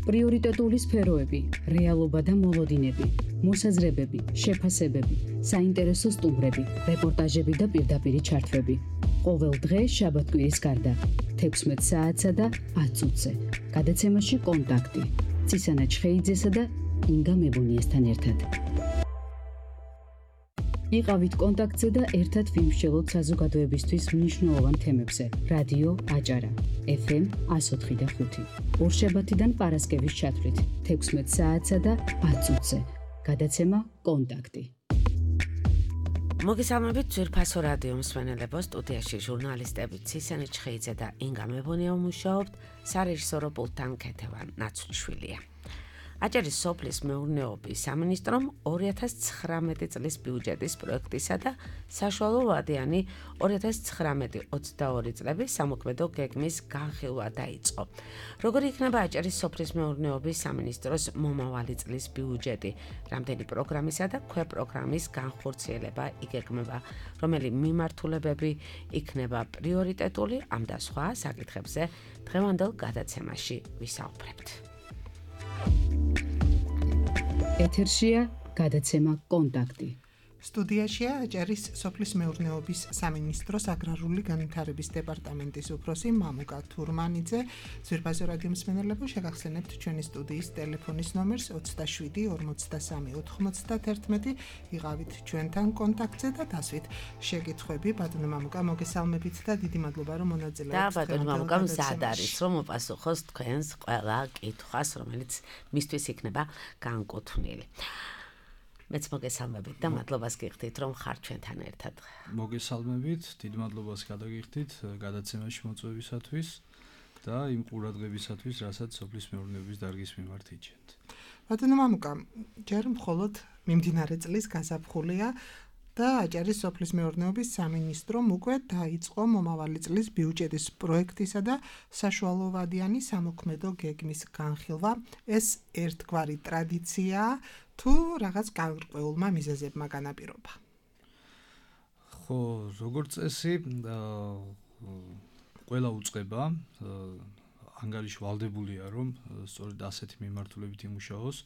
პრიორიტეტული სფეროები, რეალობა და მოლოდინები, მოსაზრებები, შეფასებები, საინტერესო სტუმრები, რეპორტაჟები და პირდაპირი ჩართვები. ყოველ დღე შაბათ-კვირის გარდა 16 საათსა და 10 წუთზე. გადაცემაში კონტაქტი. ცისანა ჩხეიძესა და ინგა მებუნიესთან ერთად. იყავით კონტაქტზე და ერთად ვიმსჯელოთ საზოგადოებისთვის მნიშვნელოვან თემებზე. რადიო აჭარა, FM 104.5. ორშაბათიდან პარასკევის ჩათვლით 16 საათსა და 10 წუთზე. გადაცემა კონტაქტი. მოგესალმებით ძვირფასო რადიო მსმენელებო, სტუდიაში ჟურნალისტები ცისანა ჩხეიძე და ინგა მებუნია მუშაობთ, სარეჟისორო პულტთან ქეთევან ნაცვლიშვილია. აჭარის სოფლის მეურნეობის სამინისტრომ 2019 წლის ბიუჯეტის პროექტისა და საშუალო ვადიანი 2019-22 წლების სამოქმედო გეგმის განხილვა დაიწყო. როგორი იქნება აჭარის სოფლის მეურნეობის სამინისტროს მომავალი წლის ბიუჯეტი, რამდენი პროგრამისა და ქვეპროგრამის განხორციელება იგეგმება, რომელი მიმართულებები იქნება პრიორიტეტული, ამ და სხვა საკითხებზე დღევანდელ გადაცემაში ვისაუბრებთ. ეთერშია გადაცემა კონტაქტი. სტუდიაშია აჭარის სოფლის მეურნეობის სამინისტროს აგრარული განვითარების დეპარტამენტის უფროსი მამუკა თურმანიძე. ძვირფასო რადიო მსმენელებო, შეგახსენებთ ჩვენი სტუდიის ტელეფონის ნომერს 27 43 91. იყავით ჩვენთან კონტაქტზე და დასვით შეკითხვები. ბატონო მამუკა, მოგესალმებით და დიდი მადლობა რომ მონაწილეობთ. და ბატონო მამუკა მზად არის რომ მოპასუხოს თქვენს ყველა კითხვას, რომელიც მისთვის იქნება განკუთვნილი. მეც მოგესალმებით და მადლობას გიხდით რომ ხარ ჩვენთან ერთად. მოგესალმებით, დიდ მადლობას გადაგიხდით გადაცემაში მოწვევისათვის და იმ ყურადღებისათვის, რასაც სოფლის მეურნეობის დარგის მიმართ იჩენთ. ბატონო მამუკა, ჯერ მხოლოდ მიმდინარე წლის გაზაფხულია და აჭარის სოფლის მეურნეობის სამინისტრომ უკვე დაიწყო მომავალი წლის ბიუჯეტის პროექტისა და საშუალო ვადიანი სამოქმედო გეგმის განხილვა. ეს ერთგვარი ტრადიციაა თუ რაღაც განრყეულმა მიზეზებმა განაპირობა? ხო, როგორც წესი, ყველა უწყება ანგარიში ვალდებულია, რომ სწორედ ასეთი მიმართულებით იმუშაოს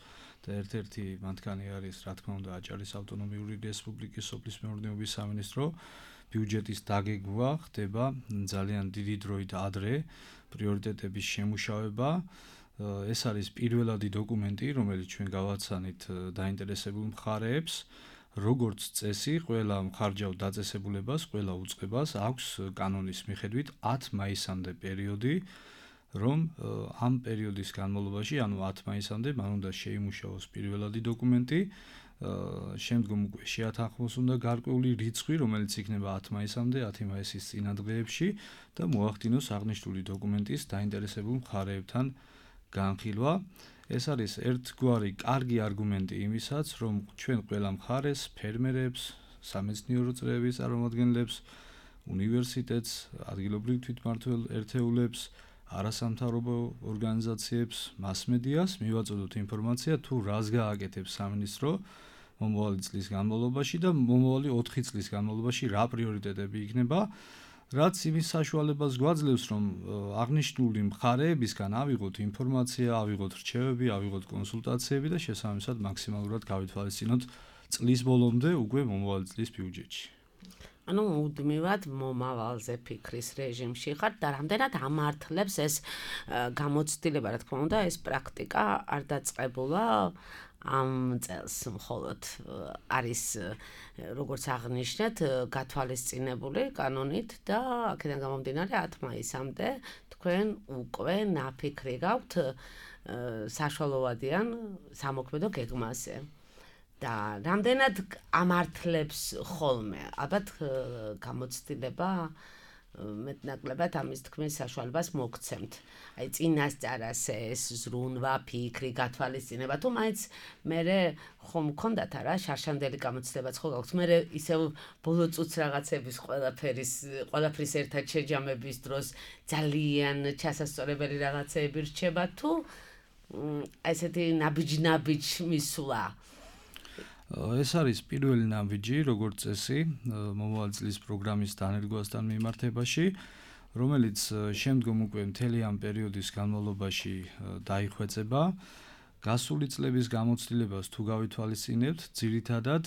და ერთ-ერთი მათგანი არის, რა თქმა უნდა, აჭარის ავტონომიური რესპუბლიკის სოფლის მეურნეობის სამინისტრო. ბიუჯეტის დაგეგმვა ხდება ძალიან დიდი დროით ადრე, პრიორიტეტების შემუშავება. ეს არის პირველადი დოკუმენტი, რომელიც ჩვენ გავაცანით დაინტერესებულ მხარეებს. როგორც წესი, ყველა მხარჯავ დაწესებულებას, ყველა უწყებას აქვს კანონის მიხედვით 10 მაისამდე პერიოდი, რომ ამ პერიოდის განმავლობაში, ანუ 10 მაისამდე, მან უნდა შეიმუშაოს პირველადი დოკუმენტი, შემდგომ უკვე შეათანხმოს უნდა გარკვეული რიცხვი, რომელიც იქნება 10 მაისამდე, 10 მაისის წინადღეებში და მოახდინოს აღნიშნული დოკუმენტის დაინტერესებულ მხარეებთან განხილვა. ეს არის ერთგვარი კარგი არგუმენტი იმისაც, რომ ჩვენ ყველა მხარეს, ფერმერებს, სამეცნიერო წრეების წარმომადგენლებს, უნივერსიტეტს, ადგილობრივ თვითმმართველ ერთეულებს, არასამთავრობო ორგანიზაციებს, მასმედიას მივაწოდოთ ინფორმაცია თუ რას გააკეთებს სამინისტრო მომავალი წლის განმავლობაში და მომავალი 4 წლის განმავლობაში რა პრიორიტეტები იქნება, რაც იმის საშუალებას გვაძლევს, რომ აღნიშნული მხარეებისგან ავიღოთ ინფორმაცია, ავიღოთ რჩევები, ავიღოთ კონსულტაციები და შესაბამისად მაქსიმალურად გავითვალისწინოთ წლის ბოლომდე უკვე მომავალი წლის ბიუჯეტში. ანუ მუდმივად მომავალზე ფიქრის რეჟიმში ხარ და რამდენად ამართლებს ეს გამოცდილება, რა თქმა უნდა, ეს პრაქტიკა არ დაწყებულა ამ წელს მხოლოდ არის როგორც აღნიშნეთ გათვალისწინებული კანონით და აქედან გამომდინარე 10 მაისამდე თქვენ უკვე ნაფიქრი გაქვთ საშუალოვადიან სამოქმედო გეგმაზე. და რამდენად ამართლებს ხოლმე, ალბათ გამოცდილება მეტნაკლებად ამის თქმის საშუალებას მოგცემთ. აი წინასწარას ეს ზრუნვა, ფიქრი, გათვალისწინება თუ მაინც მერე ხომ გქონდათ არა შარშანდელი გამოცდილებაც ხო გაქვთ? მერე ისევ ბოლო წუთს რაღაცების ყველაფრის ერთად შეჯამების დროს ძალიან ჩასასწორებელი რაღაცეები რჩება თუ ესეთი ნაბიჯ მისვლა? ეს არის პირველი ნაბიჯი, როგორც წესი, მომავალი წლის პროგრამის დანერგვასთან მიმართებაში, რომელიც შემდგომ უკვე მთელი ამ პერიოდის განმავლობაში დაიხვეწება. გასული წლების გამოცდილებას თუ გავითვალისწინებთ, ძირითადად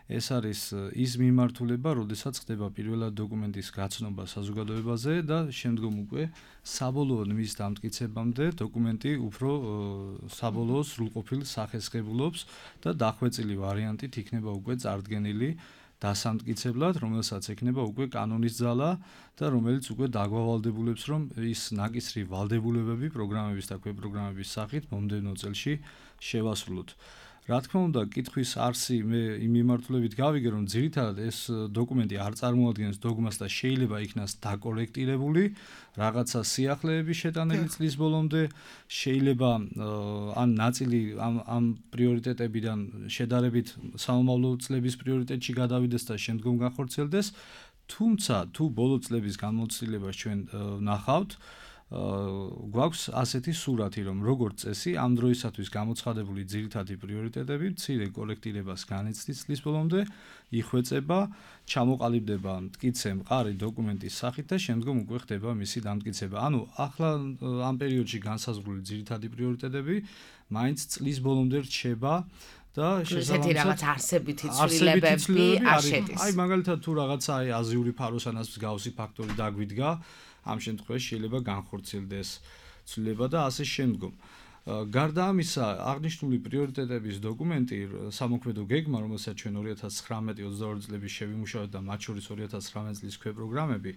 ეს არის ის მიმართულება, როდესაც ხდება პირველად დოკუმენტის გაცნობა საზოგადოებაზე და შემდგომ უკვე საბოლოოდ მის დამტკიცებამდე დოკუმენტი უფრო საბოლოო სრულყოფილ სახეს ღებულობს და დახვეწილი ვარიანტით იქნება უკვე წარდგენილი დასამტკიცებლად, რომელსაც ექნება უკვე კანონის ძალა და რომელიც უკვე დაგვავალდებულებს, რომ ის ნაკისრი ვალდებულებები პროგრამების და ქვეპროგრამების სახით მომდევნო წელში შევასრულოთ. Რა თქმა უნდა, კითხვის არსი მე იმ მიმართულებით გავიგე, რომ ძირითადად ეს დოკუმენტი არ წარმოადგენს დოგმას და შეიძლება იქნას დაკორექტირებული, რაღაცა სიახლეების შეტანილი წლის ბოლომდე, შეიძლება ან ნაწილი ამ პრიორიტეტებიდან შედარებით სამომავლო წლების პრიორიტეტში გადავიდეს და შემდგომ განხორციელდეს, თუმცა თუ ბოლო წლების განმოცდილებას ჩვენ ნახავთ, გვაქვს ასეთი სურათი, რომ როგორც წესი, ამ დროისათვის გამოცხადებული ძირითადი პრიორიტეტები მცირე კორექტირებას განიცდის წლის ბოლომდე, იხვეწება, ჩამოყალიბდება მტკიცე მყარი დოკუმენტის სახით და შემდგომ უკვე ხდება მისი დამტკიცება. ანუ ახლა ამ პერიოდში განსაზღვრული ძირითადი პრიორიტეტები მაინც წლის ბოლომდე რჩება და ესეთი რაღაც არსებითი ცვლილებები არ შედის. აი მაგალითად თუ რაღაცა აზიური ფაროსანას მსგავსი ფაქტორი დაგვიდგა, ამ შემთხვევაში შეიძლება განხორციელდეს ცვლილება და ასე შემდგომ. გარდა ამისა, აღნიშნული პრიორიტეტების დოკუმენტი სამოქმედო გეგმა, რომელსაც ჩვენ 2019-22 წლების შევიმუშავეთ და მათ შორის 2019 წლის ქვეპროგრამები,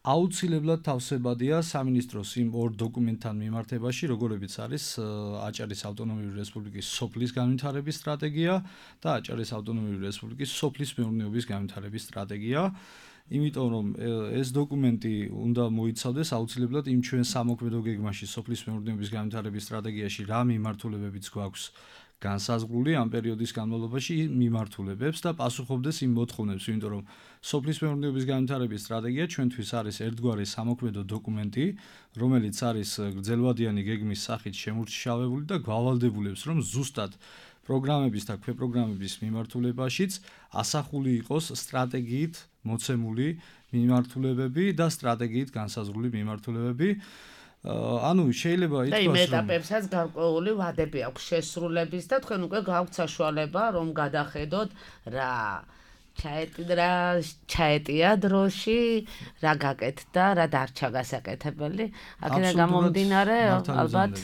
აუცილებლად თავსებადია სამინისტროს იმ ორ დოკუმენტთან მიმართებაში, როგორებიც არის აჭარის ავტონომიური რესპუბლიკის სოფლის განვითარების სტრატეგია და აჭარის ავტონომიური რესპუბლიკის სოფლის მეურნეობის განვითარების სტრატეგია. იმიტომ რომ ეს დოკუმენტი უნდა მოიცავდეს აუცილებლად იმ ჩვენ სამოქმედო გეგმაში სოფლის მეურნეობის განვითარების სტრატეგიაში რა მიმართულებებიც გვაქვს განსაზღვრული ამ პერიოდის განმავლობაში მიმართულებებს და პასუხობდეს იმ მოთხოვნებს, იმიტომ რომ სოფლის მეურნეობის განვითარების სტრატეგია ჩვენთვის არის ერთგვარი სამოქმედო დოკუმენტი, რომელიც არის გრძელვადიანი გეგმის სახით შემურჩევებული და გვავალდებულებს, რომ ზუსტად პროგრამების და ქვეპროგრამების მიმართულებაშიც ასახული იყოს სტრატეგიით მოცემული მიმართულებები და სტრატეგიით განსაზღვრული მიმართულებები. ანუ შეიძლება ითქვას, რომ და იმ ეტაპებსაც გარკვეული ვადები აქვს შესრულების და თქვენ უკვე გაქვთ საშუალება, რომ გადახედოთ რა ჩაეტია დროში, რა გაკეთდა, რა დარჩა გასაკეთებელი. აქედან გამომდინარე, ალბათ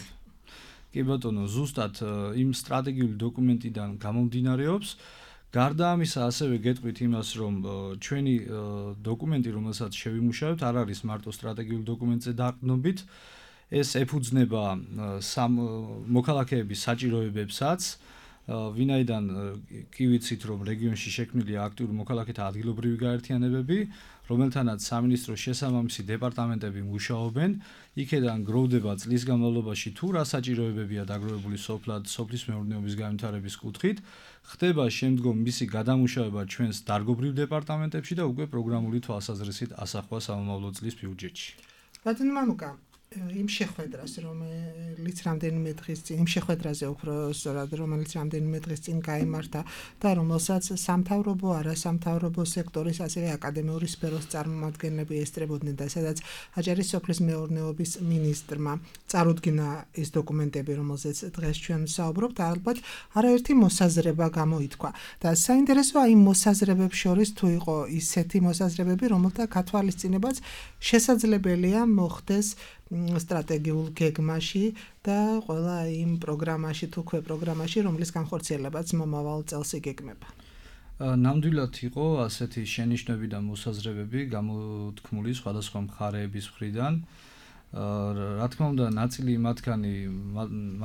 კი ბატონო, ზუსტად იმ სტრატეგიული დოკუმენტიდან გამომდინარეობს. გარდა ამისა, ასევე გეტყვით იმას, რომ ჩვენი დოკუმენტი, რომელსაც შევიმუშავებთ, არ არის მარტო სტრატეგიული დოკუმენტზე დაყრდნობით, ეს ეფუძნება მოქალაქეების საჭიროებებსაც, ვინაიდან კი ვიცით, რომ რეგიონში შექმნილია აქტიური მოქალაქეთა ადგილობრივი გაერთიანებები, რომელთანაც სამინისტროს შესაბამისი დეპარტამენტები მუშაობენ, იქედან გროვდება წლის განმავლობაში თუ რა საჭიროებებია დაგროვებული სოფლის მეურნეობის განვითარების კუთხით, ხდება შემდგომ მისი გადამუშავება ჩვენს დარგობრივ დეპარტამენტებში და უკვე პროგრამული თვალსაზრისით ასახვა სამომავლო წლის ბიუჯეტში. ბატონო მამუკა, იმ შეხვედრას, რომელიც რამდენიმე დღის წინ, იმ შეხვედრაზე უფრო სწორად, რომელიც რამდენიმე დღის წინ გაიმართა და რომელსაც სამთავრობო, არასამთავრობო სექტორის, ასევე აკადემიური სფეროს წარმომადგენლები ესწრებოდნენ და სადაც აჭარის სოფლის მეურნეობის მინისტრმა წარუდგინა ის დოკუმენტები, რომელზეც დღეს ჩვენ ვსაუბრობთ, ალბათ არაერთი მოსაზრება გამოითქვა. და საინტერესოა იმ მოსაზრებებს შორის თუ იყო ისეთი მოსაზრებები, რომელთა გათვალისწინებაც შესაძლებელია მოხდეს სტრატეგიულ გეგმაში და ყველა იმ პროგრამაში თუ ქვეპროგრამაში, რომლის განხორციელებაც მომავალ წელს იგეგმება. ნამდვილად იყო ასეთი შენიშვნები და მოსაზრებები გამოთქმული სხვადასხვა მხარეების მხრიდან. რა თქმა უნდა, ნაწილი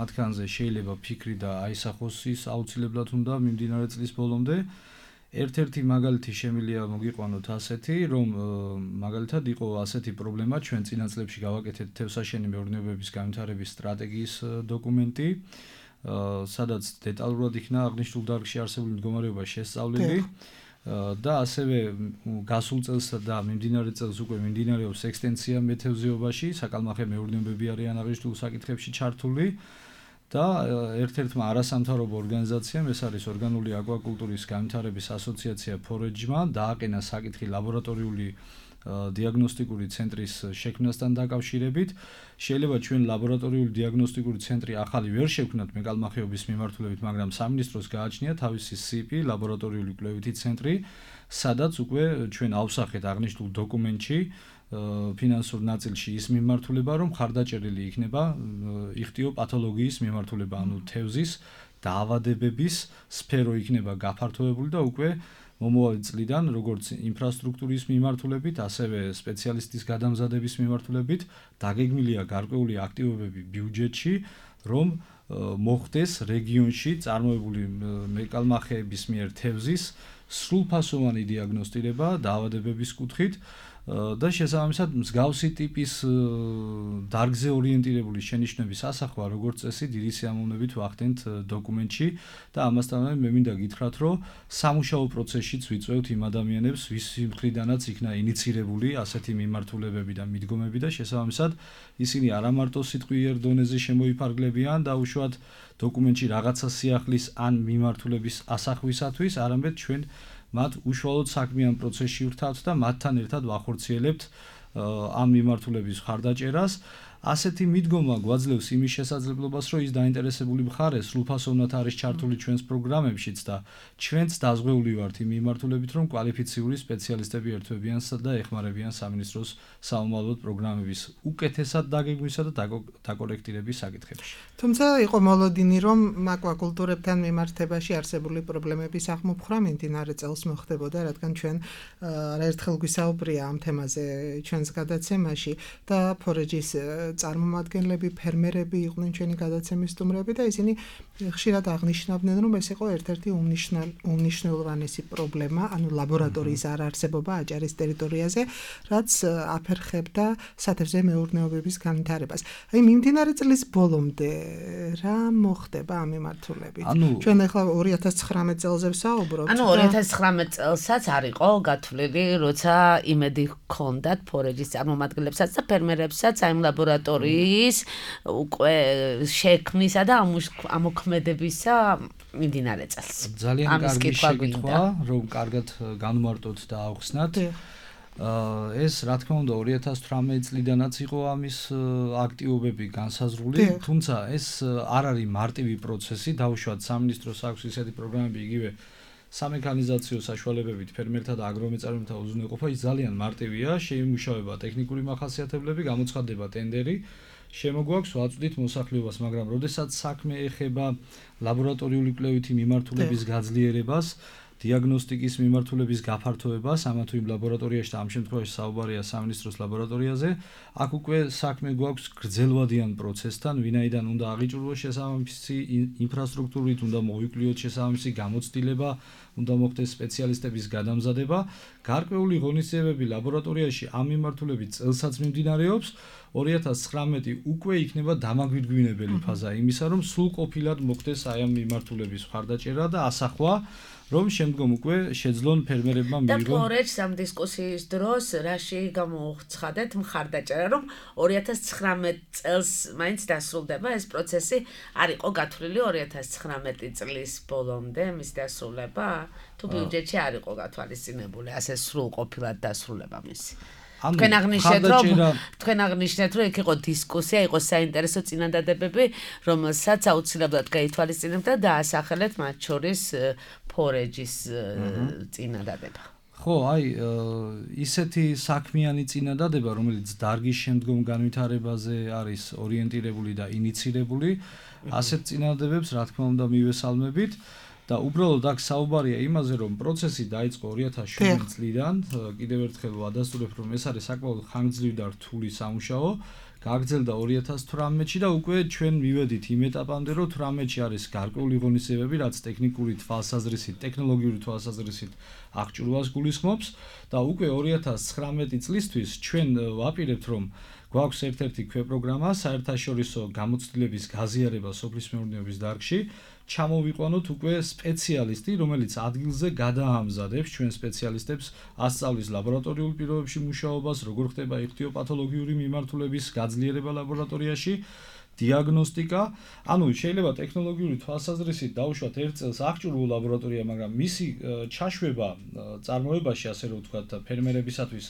მათგანზე შეიძლება ფიქრი და აისახოს ის აუცილებლად უნდა მიმდინარე წლის ბოლომდე. ერთ-ერთი მაგალითი შემიძლია მოგიყვანოთ ასეთი, რომ მაგალითად იყო ასეთი პრობლემა, ჩვენ წინა წლებში გავაკეთეთ თევზსაშენი მეურნეობების განვითარების სტრატეგიის დოკუმენტი, სადაც დეტალურად იქნა აღნიშნულ დარგში არსებული მდგომარეობა შესწავლილი და ასევე გასულ წელსა და მიმდინარე წელს უკვე მიმდინარეობს ექსტენსია მეთევზეობაში, საკალმახე მეურნეობები არიან აღნიშნულ საკითხებში ჩართული. და ერთ-ერთმა არასამთავრობო ორგანიზაციამ, ეს არის ორგანული აკვაკულტურის განვითარების ასოციაცია ფორეჯმა, დააყენა საკითხი ლაბორატორიული დიაგნოსტიკური ცენტრის შექმნასთან დაკავშირებით. შეიძლება ჩვენ ლაბორატორიული დიაგნოსტიკური ცენტრი ახალი ვერ შევქმნათ მეკალმახეობის მიმართულებით, მაგრამ სამინისტროს გააჩნია თავისი CIP ლაბორატორიული კვლევითი ცენტრი, სადაც უკვე ჩვენ ავსახეთ აღნიშნულ დოკუმენტში ფინანსურ ნაწილში ის მიმართულება, რომ ხარდაჭერილი იქნება იხტიოპათოლოგიის მიმართულება, ანუ თევზის დაავადებების სფერო იქნება გაფართოებული და უკვე მომავალი წლიდან როგორც ინფრასტრუქტურის მიმართულებით, ასევე სპეციალისტის გადამზადების მიმართულებით დაგეგმილია გარკვეული აქტივობები ბიუჯეტში, რომ მოხდეს რეგიონში წარმოებული მეკალმახეების მიერ თევზის სრულფასოვანი დიაგნოსტირება დაავადებების კუთხით და შესაბამისად მსგავსი ტიპის დარგზე ორიენტირებული შენიშვნების ასახვა როგორც წესი დიდი სიამოვნებით ვახდენთ დოკუმენტში და ამასთანავე მე მინდა გითხრათ რომ სამუშაო პროცესშიც ვიწვევთ იმ ადამიანებს ვისი მხრიდანაც იქნა ინიცირებული ასეთი მიმართულებები და მიდგომები და შესაბამისად ისინი არა მარტო სიტყვიერ დონეზე შემოიფარგლებიან და უშუალოდ დოკუმენტში რაღაცა სიახლის ან მიმართულების ასახვისათვის არამედ ჩვენ მათ უშუალოდ საქმიან პროცესში ვრთავთ და მათთან ერთად ვახორციელებთ ამ მიმართულების ხარდაჭერას. ასეთი მიდგომა გვაძლევს იმის შესაძლებლობას, რომ ის დაინტერესებული მხარე სრულფასოვნად არის ჩართული ჩვენს პროგრამებშიც და ჩვენც დაზღვეული ვართ იმ მიმართულებით, რომ კვალიფიციური სპეციალისტები ერთვებიან და ეხმარებიან სამინისტროს საომალოდ პროგრამების უკეთესად დაგეგმვისა და დაკორექტირების საკითხებში. თუმცა იყო მოლოდინი, რომ აკვაკულტურებთან მიმართებაში არსებული პრობლემების აღმოფხვრა მიმდინარე წელს მოხდებოდა, რადგან ჩვენ არაერთხელ გვისაუბრია ამ თემაზე ჩვენს გადაცემაში და ფორეჯის წარმომადგენლები, ფერმერები იყვნენ ჩვენი გადაცემის სტუმრები და ისინი ხშირად აღნიშნავდნენ, რომ ეს იყო ერთ-ერთი უმნიშვნელოვანესი პრობლემა, ანუ ლაბორატორიის არარსებობა აჭარის ტერიტორიაზე, რაც აფერხებდა სათევზე მეურნეობების განვითარებას. აი მიმდინარე წლის ბოლომდე რა მოხდება ამ მიმართულებით? ჩვენ ახლა 2019 წელზე ვსაუბრობთ. ანუ 2019 წელსაც არისო გათვლილი, როცა იმედი ჰქონდათ ფორეჯის წარმომადგენლებსაც და ფერმერებსაც ამ ლაბორატორიის უკვე შექმნისა და ამოქმედებისა მიმდინარე წელს. ძალიან კარგი შეკითხვა, რომ კარგად განმარტოთ და ავხსნათ. ეს რა თქმა უნდა 2018 წლიდანაც იყო ამის აქტივობები განსაზღვრული, თუმცა ეს არ არის მარტივი პროცესი, დაუშვათ სამინისტროს აქვს ისეთი პროგრამები იგივე სამექანიზაციო საშუალებებით ფერმერთა და აგრომეწარმეთა უზრუნველყოფა ის ძალიან მარტივია, შეიმუშავება ტექნიკური მახასიათებლები, გამოცხადდება ტენდერი, შემოგვაქვს ვაწვდით მოსახლეობას, მაგრამ როდესაც საქმე ეხება ლაბორატორიული კვლევითი მიმართულების გაძლიერებას, დიაგნოსტიკის მიმართულების გაფართოებას, ამა თუ იმ ლაბორატორიაში და ამ შემთხვევაში საუბარია სამინისტროს ლაბორატორიაზე, აქ უკვე საქმე გვაქვს გრძელვადიან პროცესთან, ვინაიდან უნდა აღიჭურვოს შესაბამისი ინფრასტრუქტურით, უნდა მოვიკვლიოთ შესაბამისი გამოცდილება, უნდა მოხდეს სპეციალისტების გადამზადება. გარკვეული ღონისძიებები ლაბორატორიაში ამ მიმართულებით წელსაც მიმდინარეობს. 2019 უკვე იქნება დამაგვირგვინებელი ფაზა იმისა, რომ სრულყოფილად მოხდეს აი ამ მიმართულების ხარდაჭერა და ასახვა, რომ შემდგომ უკვე შეძლონ ფერმერებმა მიიღონ. და ფორეჯს ამ დისკუსიის დროს რაში გამოუცხადეთ მხარდაჭერა, რომ 2019 წელს მაინც დასრულდება ეს პროცესი, არისო გათვლილი 2019 წლის ბოლომდე მის დასრულება, თუ ბიუჯეტში არისო გათვალისწინებული ასე სრულყოფილად დასრულება მისი. თქვენ აღნიშნეთ, რომ იქ იყო დისკუსია, იყო საინტერესო წინადადებები, რომელსაც აუცილებლად გაითვალისწინებდა და დაასახელეთ მათ შორის ფორეჯის წინადადება. ხო, აი ისეთი საქმიანი წინადადება, რომელიც დარგის შემდგომ განვითარებაზე არის ორიენტირებული და ინიცირებული, ასეთ წინადადებებს რა თქმა უნდა მივესალმებით. და უბრალოდ აქ საუბარია იმაზე, რომ პროცესი დაიწყო 2007 წლიდან, კიდევ ერთხელ ვადასტურებ, რომ ეს არის საკმაოდ ხანგრძლივი და რთული სამუშაო, გაგრძელდა 2018-ში და უკვე ჩვენ მივედით იმ ეტაპამდე, რომ 18-ში არის გარკვეული ღონისძიებები, რაც ტექნიკური თვალსაზრისით, ტექნოლოგიური თვალსაზრისით აღჭურვას გულისხმობს და უკვე 2019 წლისთვის ჩვენ ვაპირებთ, რომ გვაქვს ერთ-ერთი ქვეპროგრამა საერთაშორისო გამოცდილების გაზიარება სოფლის მეურნეობის დარგში. ჩამოვიყვანოთ უკვე სპეციალისტი, რომელიც ადგილზე გადაამზადებს ჩვენ სპეციალისტებს, ასწავლის ლაბორატორიულ პირობებში მუშაობას, როგორ ხდება იხტიოპათოლოგიური მიმართულების გაძლიერება ლაბორატორიაში, დიაგნოსტიკა, ანუ შეიძლება ტექნოლოგიური თვალსაზრისით დაუშვათ ერთ წელს აღჭურვა ლაბორატორია, მაგრამ მისი ჩაშვება წარმოებაში, ასე რომ ვთქვათ, ფერმერებისათვის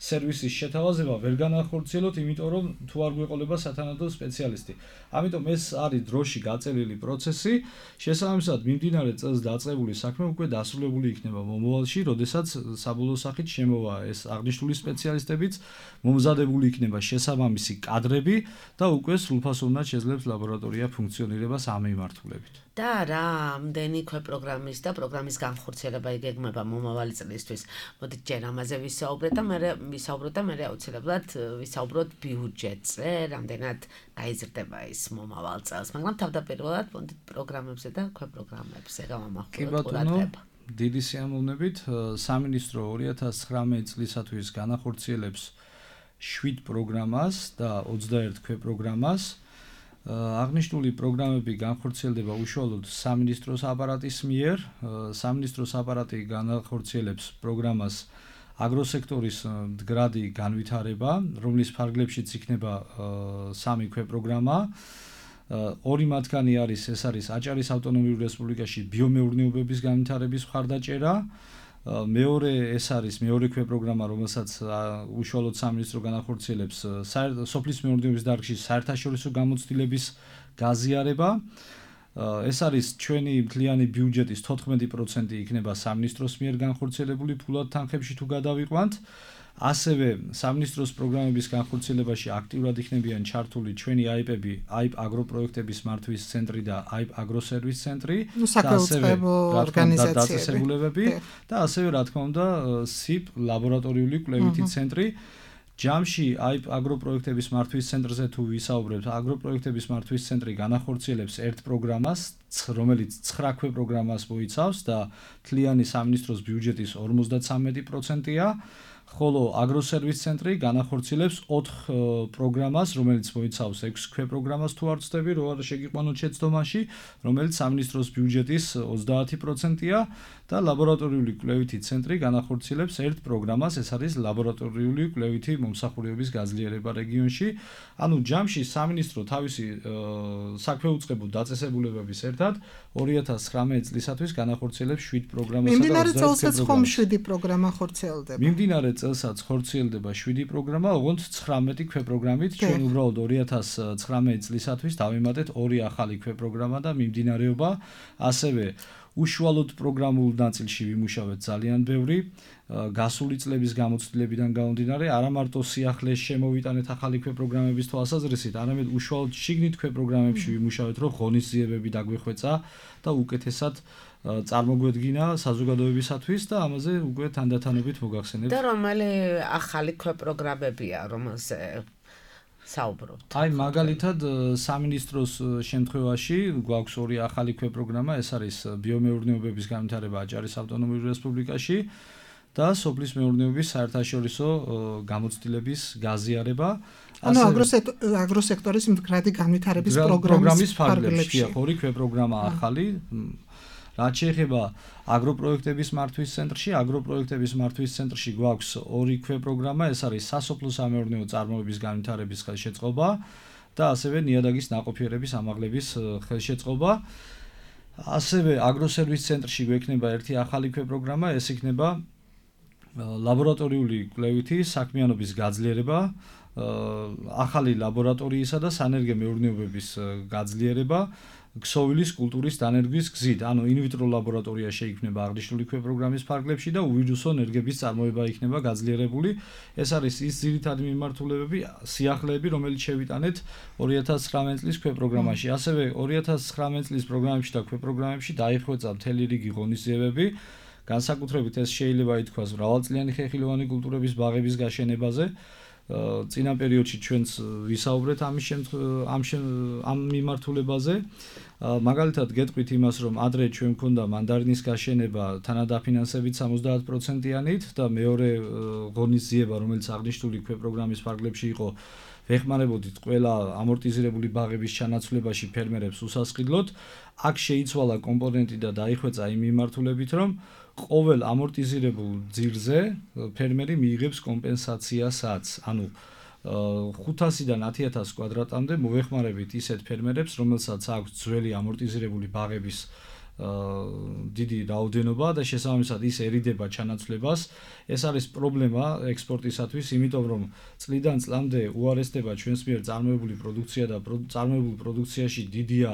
სერვისის შეთავაზება ვერ განახორციელოთ, იმიტომ რომ თუ არ გვეყოლება სათანადო სპეციალისტი. ამიტომ ეს არის დროში გაწერილი პროცესი, შესაბამისად მიმდინარე წელს დაწყებული საქმე უკვე დასრულებული იქნება მომავალში, როდესაც საბოლოო სახით შემოვა ეს აღნიშნული სპეციალისტებიც, მომზადებული იქნება შესაბამისი კადრები და უკვე სრულფასოვნად შეძლებს ლაბორატორია ფუნქციონირებას ამ მიმართულებით. და რამდენი პროგრამის და პროგრამის განხორციელება იგეგმება მომავალი წლისთვის. მოდით ჯერ ამაზე ვისაუბროთ და მე აუცილებლად ვისაუბროთ ბიუჯეტზე, რამდენად გაიზრდება ის მომავალ წელს, მაგრამ თავდაპირველად მოდით პროგრამებზე და პროგრამებზე გავამახვილოთ ყურადღება. დიდი სიამოვნებით, სამინისტრო 2019 წლისათვის განახორციელებს 7 პროგრამას და 21 პროგრამას. აღნიშნული პროგრამები განხორციელდება უშუალოდ სამინისტროს აპარატის მიერ. სამინისტროს აპარატი განახორციელებს პროგრამას აგროსექტორის მდგრადი განვითარება, რომლის ფარგლებშიც იქნება 3 პროგრამა. ორი მათგანი არის აჭარის ავტონომიურ რესპუბლიკაში ბიომეურნეობების განვითარების მხარდაჭერა. მეორე ეს არის მეორე პროგრამა, რომელსაც უშუალოდ სამინისტრო განახორციელებს სოფლის მეურნეობის დარგში საერთაშორისო გამოცდილების გაზიარება. ეს არის ჩვენი მთლიანი ბიუჯეტის 14% იქნება სამინისტროს მიერ განხორციელებული ფულად თანხებში თუ გადავიყვანთ. ასევე სამინისტროს პროგრამების განხორციელებაში აქტიურად იქნებიან ჩართული ჩვენი აიპები, აიპ აგროპროექტების მართვის ცენტრი და აიპ აგროსერვის ცენტრი, საკუთრებო ორგანიზაციები და ასევე რა თქმა უნდა SIP ლაბორატორიული კვლევითი ცენტრი. ჯამში აიპ აგროპროექტების მართვის ცენტრზე თუ ვისაუბრებთ, აგროპროექტების მართვის ცენტრი განახორციელებს ერთ პროგრამას, რომელიც 9 პროგრამას მოიცავს და მთლიანი სამინისტროს ბიუჯეტის 53%-ია. ხოლო აგროსერვის ცენტრი განახორციელებს 4 პროგრამას, რომელიც მოიცავს 6 პროგრამას თუ არ ვცდები, რო არ შეგიყვანოთ შეცდომაში, რომელიც სამინისტროს ბიუჯეტის 30%-ია და ლაბორატორიული კვლევითი ცენტრი განახორციელებს ერთ პროგრამას, ეს არის ლაბორატორიული კვლევითი მომსახურების გაძლიერება რეგიონში. ანუ ჯამში სამინისტრო თავისი საქმეუწყებო დაწესებულებების ერთად 2019 წლისათვის განახორციელებს 7 პროგრამას და 21 მიმდინარე წელსაც ხომ 7 პროგრამა ხორციელდება. მიმდინარე წელსაც ხორციელდება 7 პროგრამა, ოღონდ 19 პროგრამით. ჩვენ უბრალოდ 2019 წლისათვის დავიმატეთ 2 ახალი პროგრამა და მიმდინარეობა. ასევე უშუალოდ პროგრამულ ნაწილში ვიმუშავეთ ძალიან ბევრი გასული წლების გამოცდილებიდან გამომდინარე, არა მარტო სიახლეს შემოვიტანეთ ახალი პროგრამების თვალსაზრისით, არამედ უშუალოდ შიგნით პროგრამებში ვიმუშავეთ, რომ ღონისძიებები დაგვეხვეწა და უკეთესად წარმოგვედგინა საზოგადოებისათვის და ამაზე უკვე თანდათანობით მოგახსენებთ. და რომელი ახალი პროგრამებია, რომელზე საუბრობთ? აი მაგალითად სამინისტროს შემთხვევაში გვაქვს 2 ახალი პროგრამა, ეს არის ბიომეურნეობების განვითარება აჭარის ავტონომიურ რესპუბლიკაში და სოფლის მეურნეობის საერთაშორისო გამოცდილების გაზიარება. ანუ აგროსექტორის მდგრადი განვითარების პროგრამის ფარგლებში 2 პროგრამა ახალი. რაც შეეხება აგროპროექტების მართვის ცენტრში, აგროპროექტების მართვის ცენტრში გვაქვს 2 პროგრამა, ეს არის სასოფლო სამეურნეო წარმოების განვითარების ხელშეწყობა და ასევე ნიადაგის ნაყოფიერების ამაღლების ხელშეწყობა. ასევე აგროსერვის ცენტრში გვექნება ერთი ახალი პროგრამა, ეს იქნება ლაბორატორიული კვლევითი საქმიანობის გაძლიერება, ახალი ლაბორატორიისა და სანერგე მეურნეობების გაძლიერება. ქსოვილის კულტურის დანერგვის გზით, ანუ ინვიტრო ლაბორატორია შეიქმნება აღნიშნული პროგრამის ფარგლებში და უვირუსო ნერგების წარმოება იქნება გაძლიერებული. ეს არის ის ძირითადი მიმართულებები, სიახლეები, რომელიც შევიტანეთ 2019 წლის პროგრამაში. ასევე 2019 წლის პროგრამებში და პროგრამებში დაიხვეწა მთელი რიგი ღონისძიებები. განსაკუთრებით ეს შეიძლება ითქვას მრავალწლიანი ხეხილოვანი კულტურების ბაღების გაშენებაზე. წინა პერიოდში ჩვენც ვისაუბრეთ ამ მიმართულებაზე. მაგალითად გეტყვით იმას, რომ ადრე ჩვენ მქონდა მანდარინის გაშენება თანადაფინანსებით 70%-იანით და მეორე ღონისძიება, რომელიც აღნიშნული პროგრამის ფარგლებში იყო, ვეხმარებოდით ყველა ამორტიზირებული ბაღების ჩანაცვლებაში ფერმერებს უსასყიდლოდ. აქ შეიცვალა კომპონენტი და დაიხვეწა იმ მიმართულებით, რომ ყოველ ამორტიზირებულ ძირზე ფერმერი მიიღებს კომპენსაციასაც. ანუ 500-დან 10.000 კვადრატამდე მოვეხმარებით ისეთ ფერმერებს, რომელსაც აქვს ძველი ამორტიზირებული ბაღების დიდი რაოდენობა და შესაბამისად ისერიდება ჩანაცვლებას. ეს არის პრობლემა ექსპორტისათვის, იმიტომ რომ წლიდან წლამდე უარესდება ჩვენს მიერ წარმოებული პროდუქცია და წარმოებულ პროდუქციაში დიდია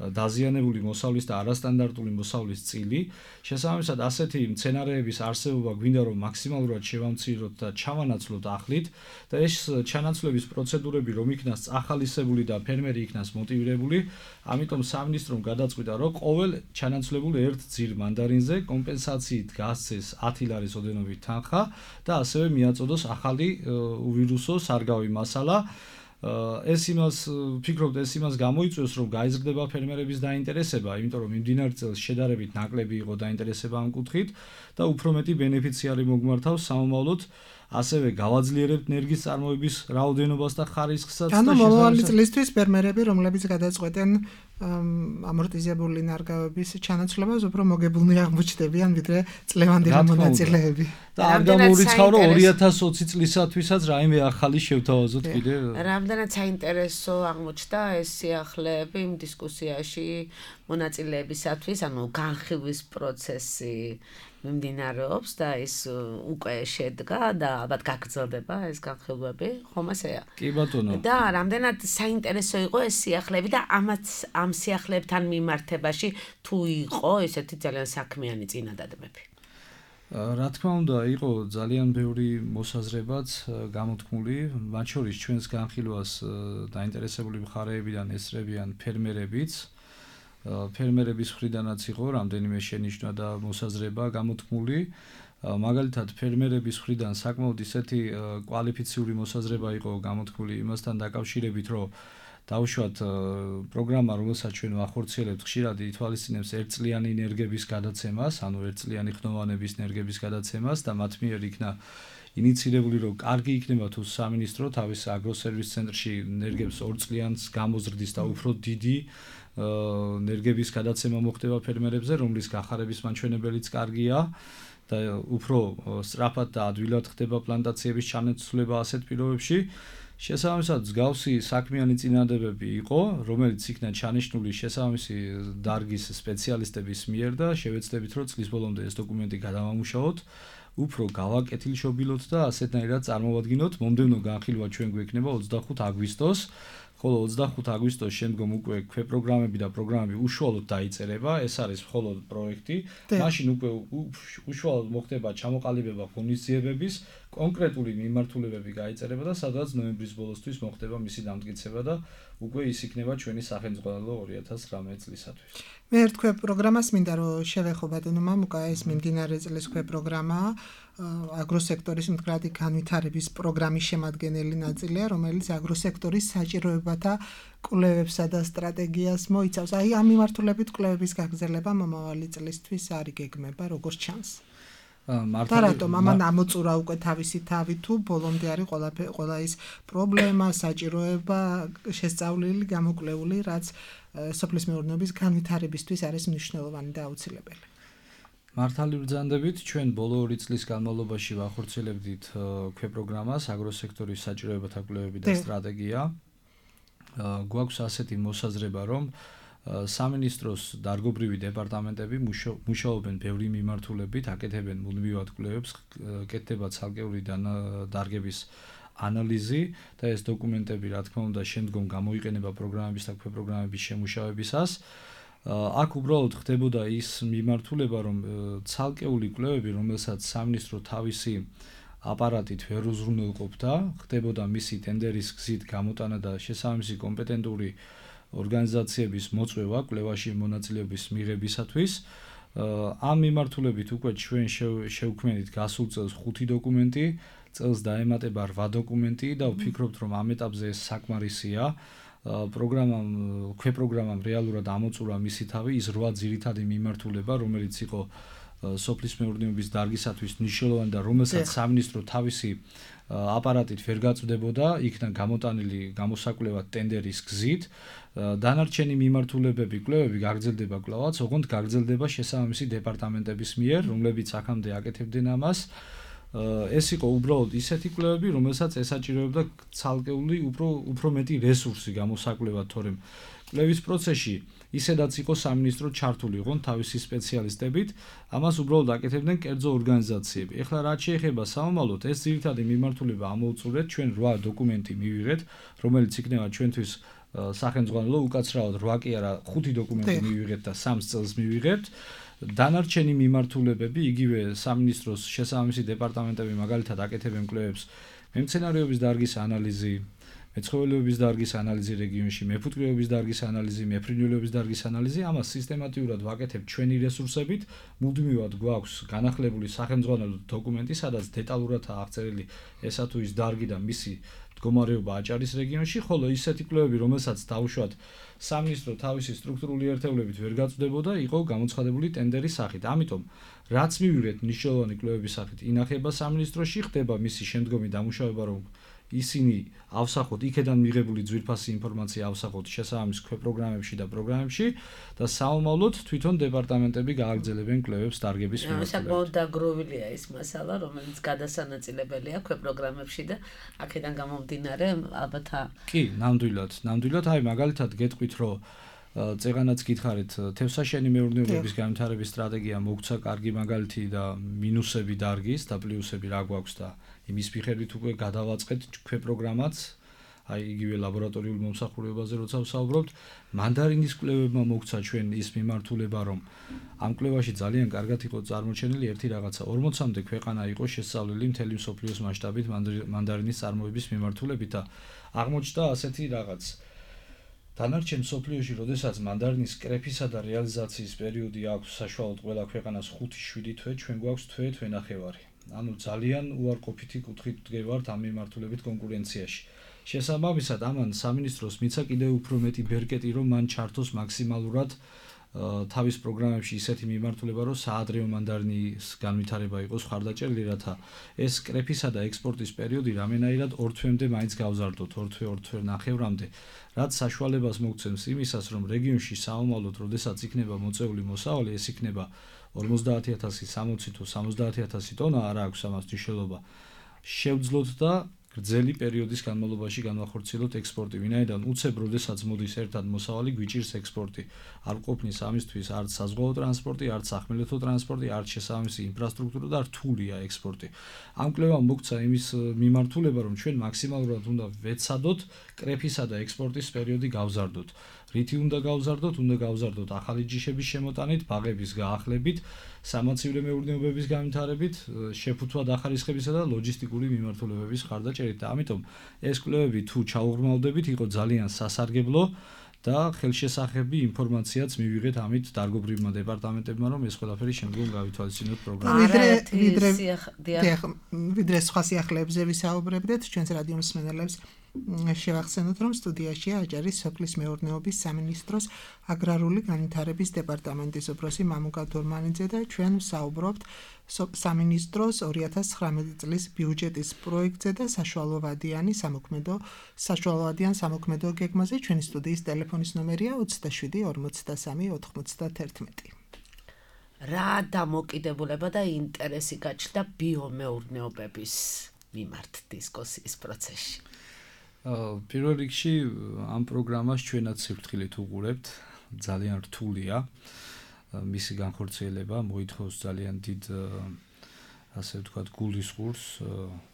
დაზიანებული მოსავლის და არასტანდარტული მოსავლის წილი. შესაბამისად, ასეთი მცენარეების არსებობა გვინდა რომ მაქსიმალურად შევამციროთ და ჩავანაცვლოთ ახლით და ეს ჩანაცვლების პროცედურები რომ იქნას წახალისებული და ფერმერი იქნას მოტივირებული, ამიტომ სამინისტრომ გადაწყვიტა, რომ ყოველ ჩანაცვლებულ ერთ ძირ მანდარინზე კომპენსაციით გასცეს 10 ლარის ოდენობით თანხა და ასევე მიაწოდოს ახალი უვირუსო სარგავი მასალა. ეს იმას გამოიწვევს, რომ გაიზრდება ფერმერების დაინტერესება, იმიტომ რომ მიმდინარე წელს შედარებით ნაკლები იყო დაინტერესება ამ კუთხით და უფრო მეტი ბენეფიციარი mogmართავს სამომავლოდ, ასევე გავაძლიერებთ ენერგიის წარმოების რაოდენობას და ხარისხსაც და ანუ მომავალი წლისთვის ფერმერები, რომლებიც გადაწყვეტენ ამორტიზებული ნარგავების ჩანაცვლებას, უფრო მოგებულნი აღმოჩნდებიან, ვიდრე წლევანდელი მონაწილეები. და არ გამორიცხავ, რომ 2020 წლისათვისაც რაიმე ახალი შევთავაზოთ კიდე. რამდენად საინტერესო აღმოჩნდა ეს სიახლეები იმ დისკუსიაში მონაწილეებისათვის, ანუ განხილვის პროცესი მიმდინარეობს და ის უკვე შედგა და ალბათ გაგრძელდება ეს განხილვები, ხომ ასეა? კი ბატონო. და რამდენად საინტერესო იყო ეს სიახლეები და ამ სიახლეებთან მიმართებაში თუ იყო ესეთი ძალიან საქმიანი წინადადები? რა თქმა უნდა, იყო ძალიან ბევრი მოსაზრებაც გამოთქმული, მათ შორის ჩვენს განხილვას დაინტერესებული მხარეებიდან ესწრებიან ფერმერებიც. ფერმერების მხრიდანაც იყო რამდენიმე შენიშვნა და მოსაზრება გამოთქმული. მაგალითად, ფერმერების მხრიდან საკმაოდ ისეთი კვალიფიციური მოსაზრება იყო გამოთქმული იმასთან დაკავშირებით, რომ დავუშვათ პროგრამა, რომელსაც ჩვენ ვახორციელებთ, ხშირად ითვალისწინებს ერთწლიანი ენერგების გადაცემას, ანუ ერთწლიანი ხნოვანების ენერგების გადაცემას და მათ მიერ იქნა ინიცირებული, რომ კარგი იქნება თუ სამინისტრო თავის აგროსერვის ცენტრში ენერგებს 2 წლიანს გამოზრდის და უფრო დიდი ენერგების გადაცემა მოხდება ფერმერებზე, რომლის გახარების მაჩვენებელიც კარგია და უფრო სწრაფად და ადვილად ხდება პლანტაციების ჩანაცვლება ასეთ პირობებში. შესაბამისად, მსგავსი საქმიანი წინადადებები იყო, რომელიც იქნა ჩანიშნული შესაბამისი დარგის სპეციალისტების მიერ და შევეცდებით, რომ წლის ბოლომდე ეს დოკუმენტი გადავამუშავოთ, უფრო გავაკეთილშობილოთ და ასეთნაირად წარმოვადგინოთ. მომდევნო განხილვა ჩვენ გვექნება 25 აგვისტოს, ხოლო 25 აგვისტოს შემდგომ უკვე ქვეპროგრამები და პროგრამები უშუალოდ დაიწერება, ეს არის მხოლოდ პროექტი. მაშინ უკვე უშუალოდ მოხდება ჩამოყალიბება ღონისძიებების, კონკრეტული მიმართულებები გაიწერება და სადაც ნოემბრის ბოლოსთვის მოხდება მისი დამტკიცება და უკვე ის იქნება ჩვენი სახელმწიფო 2019 წლისათვის. მე ერთ ქვეპროგრამას მინდა რომ შევეხო ბატონო მამუკა, ეს მიმდინარე წლის ქვეპროგრამაა, აგროსექტორის მდგრადი განვითარების პროგრამის შემადგენელი ნაწილია, რომელიც აგროსექტორის საჭიროებათა კვლევებსა და სტრატეგიას მოიცავს. აი ამ მიმართულებით კვლევების გაგრძელება მომავალი წლისთვის არ იგეგმება, როგორც ჩანს. და რატომ ამან ამოწურა უკვე თავისი თავი თუ ბოლომდე არის ყველა ის პრობლემა, საჭიროება შესწავლილი, გამოკვლეული, რაც სოფლის მეურნეობის განვითარებისთვის არის მნიშვნელოვანი და აუცილებელი. მართალი ბრძანდებით, ჩვენ ბოლო 2 წლის განმავლობაში ვახორციელებდით ქვეპროგრამას აგროსექტორის საჭიროებათა კვლევები და სტრატეგია. გვაქვს ასეთი მოსაზრება, რომ სამინისტროს დარგობრივი დეპარტამენტები მუშაობენ ბევრი მიმართულებით, აკეთებენ მუდმივად კვლევებს, კეთდება ცალკეული დარგების ანალიზი და ეს დოკუმენტები, რა თქმა უნდა, შემდგომ გამოიყენება პროგრამების და ქვეპროგრამების შემუშავებისას. აქ უბრალოდ ხდებოდა ის მიმართულება, რომ ცალკეული კვლევები, რომელსაც სამინისტრო თავისი აპარატით ვერ უზრუნველყოფდა, ხდებოდა მისი ტენდერის გზით გამოტანა და შესაბამისი კომპეტენტური ორგანიზაციების მოწვევა კვლევაში მონაწილეობის მიღებისათვის. ამ მიმართულებით უკვე ჩვენ შევქმნით გასულ წელს 5 დოკუმენტი, წელს დაემატება 8 დოკუმენტი და ვფიქრობთ, რომ ამ ეტაპზე ეს საკმარისია. ქვეპროგრამამ რეალურად ამოწურა მისი თავი ის 8 ძირითადი მიმართულება, რომელიც იყო სოფლის მეურნეობის დარგისათვის მნიშვნელოვანი და რომელსაც სამინისტრო თავისი აპარატით ვერ გაწვდებოდა, იქნა გამოტანილი გამოსაკვლევად ტენდერის გზით. დანარჩენი მიმართულებები, კვლევები გაგრძელდება კვლავაც, ოღონდ გაგრძელდება შესაბამისი დეპარტამენტების მიერ, რომლებიც აქამდე აკეთებდნენ ამას. ეს იყო უბრალოდ ისეთი კვლევები, რომელსაც ესაჭიროებდა ცალკეული უფრო მეტი რესურსი გამოსაკვლევად, თორემ კვლევის პროცესში ისედაც იყო სამინისტრო ჩართული იყო თავისი სპეციალისტებით, ამას უბრალოდ აკეთებდნენ კერძო ორგანიზაციები. ეხლა რაც შეეხება სამომავლოდ, ეს ძირითადი მიმართულება ამოუწურეთ, ჩვენ 8 დოკუმენტი მივიღეთ, რომელიც იქნება ჩვენთვის სახელმძღვანელო, უკაცრავად 8 კი არა, 5 დოკუმენტი მივიღეთ და 3 წელს მივიღებთ. დანარჩენი მიმართულებები, იგივე სამინისტროს შესაბამისი დეპარტამენტები მაგალითად აკეთებენ კვლევებს მემცენარეობის დარგის ანალიზი, მეცხოველეობის დარგის ანალიზი რეგიონში, მეფუტკრეობის დარგის ანალიზი, მეფრინველეობის დარგის ანალიზი, ამას სისტემატიურად ვაკეთებ ჩვენი რესურსებით, მუდმივად გვაქვს განახლებული სახელმძღვანელო დოკუმენტი, სადაც დეტალურადაა აღწერილი ესა თუ ის დარგი და მისი მდგომარეობა აჭარის რეგიონში, ხოლო ისეთი კვლევები, რომელსაც დავუშვათ სამინისტრო თავისი სტრუქტურული ერთეულებით ვერ გაწვდებოდა, იყო გამოცხადებული ტენდერის სახით. ამიტომ, რაც მივიღეთ მნიშვნელოვანი კვლევების სახით, ინახება სამინისტროში, ხდება მისი შემდგომი დამუშავება, რომ ისინი ავსახოთ, იქედან მიღებული ძვირფასი ინფორმაცია ავსახოთ შესაბამის ქვეპროგრამებში და პროგრამებში და საომავლოდ თვითონ დეპარტამენტები გააგრძელებენ კვლევებს დარგების მიმართულებით. საკმაოდ დაგროვილია ის მასალა, რომელიც გადასანაწილებელია ქვეპროგრამებში და აქედან გამომდინარე ალბათ კი, ნამდვილად, აი მაგალითად გეტყვით, რომ წეღანაც გითხარით, თევსაშენი მეურნეობების განვითარების სტრატეგია მოგცა კარგი მაგალითი და მინუსები დარგის და პლუსები რა გვაქვს და იმის მიხედვით უკვე გადავაწყეთ ქვეპროგრამაც, აი იგივე ლაბორატორიულ მომსახურებაზე როცა ვსაუბრობთ, მანდარინის კვლევებმა მოგცა ჩვენ ის მიმართულება, რომ ამ კვლევაში ძალიან კარგად იყო წარმოჩენილი ერთი რაღაცა, 40-მდე ქვეყანა იყო შესწავლილი მთელი მსოფლიოს მასშტაბით მანდარინის წარმოების მიმართულებით და აღმოჩნდა ასეთი რაღაც დანარჩენ მსოფლიოში, როდესაც მანდარინის კრეფისა და რეალიზაციის პერიოდი აქვს საშუალოდ ყველა ქვეყანას 5-7 თვე, ჩვენ გვაქვს თვე-თვენახევარი. ანუ ძალიან უარყოფითი კუთხით ვდგევართ ამ მიმართულებით კონკურენციაში. შესაბამისად, ამან სამინისტროს მიცა კიდევ უფრო მეტი ბერკეტი, რომ მან ჩართოს მაქსიმალურად თავის პროგრამებში ისეთი მიმართულება, რომ საადრეო მანდარინის განვითარება იყოს ხარდაჭერილი, რათა ეს კრეფისა და ექსპორტის პერიოდი რამენაირად 2 თვემდე მაინც გავზარდოთ, 2 თვე-2.5-მდე, რაც საშუალებას მოგცემს იმისას, რომ რეგიონში საომავლოდ, როდესაც იქნება მოწეული მოსავალი, ეს იქნება 50,000, 60 თუ 70,000 ტონა, არა აქვს ამას მნიშვნელობა. შევძლოთ და გრძელი პერიოდის განმავლობაში განვახორციელოთ ექსპორტი, ვინაიდან უცებ როდესაც მოდის ერთად მოსავალი, გვიჭირს ექსპორტი. არ ყოფნის ამისთვის არც საზღვაო ტრანსპორტი, არც სახმელეთო ტრანსპორტი, არც შესაბამისი ინფრასტრუქტურა და რთულია ექსპორტი. ამ კვლევამ მოგცა იმის მიმართულება, რომ ჩვენ მაქსიმალურად უნდა ვეცადოთ კრეფისა და ექსპორტის პერიოდი გავზარდოთ. რითი უნდა გავზარდოთ ახალი ჯიშების შემოტანით, ბაღების გაახლებით, სამაცივრო მეურნეობების განვითარებით, შეფუთვა დახარისხებისა და ლოჯისტიკური მიმართულებების ხარდაჭერით და ამიტომ ეს კვლევები თუ ჩაუღრმავდებით, იყო ძალიან სასარგებლო და ხელშესახები ინფორმაციაც მივიღეთ ამით დარგობრივმა დეპარტამენტებმა, რომ ეს ყველაფერი შემდგომ გავითვალისწინოთ პროგრამაში. ვიდრე სხვა სიახლეებზე ვისაუბრებდეთ, ჩვენს რადიო მსმენელებს შევახსენოთ, რომ სტუდიაშია აჭარის სოფლის მეურნეობის სამინისტროს აგრარული განვითარების დეპარტამენტის უფროსი მამუკა თურმანიძე და ჩვენ ვსაუბრობთ სამინისტროს 2019 წლის ბიუჯეტის პროექტზე და საშუალოვადიან სამოქმედო გეგმაზე. ჩვენი სტუდიის ტელეფონის ნომერია 27 43 91. რა დამოკიდებულება და ინტერესი გაჩნდა ბიომეურნეობების მიმართ დისკუსიის პროცესში? პირველ რიგში ამ პროგრამას ჩვენაც სიფრთხილით უყურებთ, ძალიან რთულია მისი განხორციელება, მოითხოვს ძალიან დიდ ასე ვთქვათ გულისხმურს,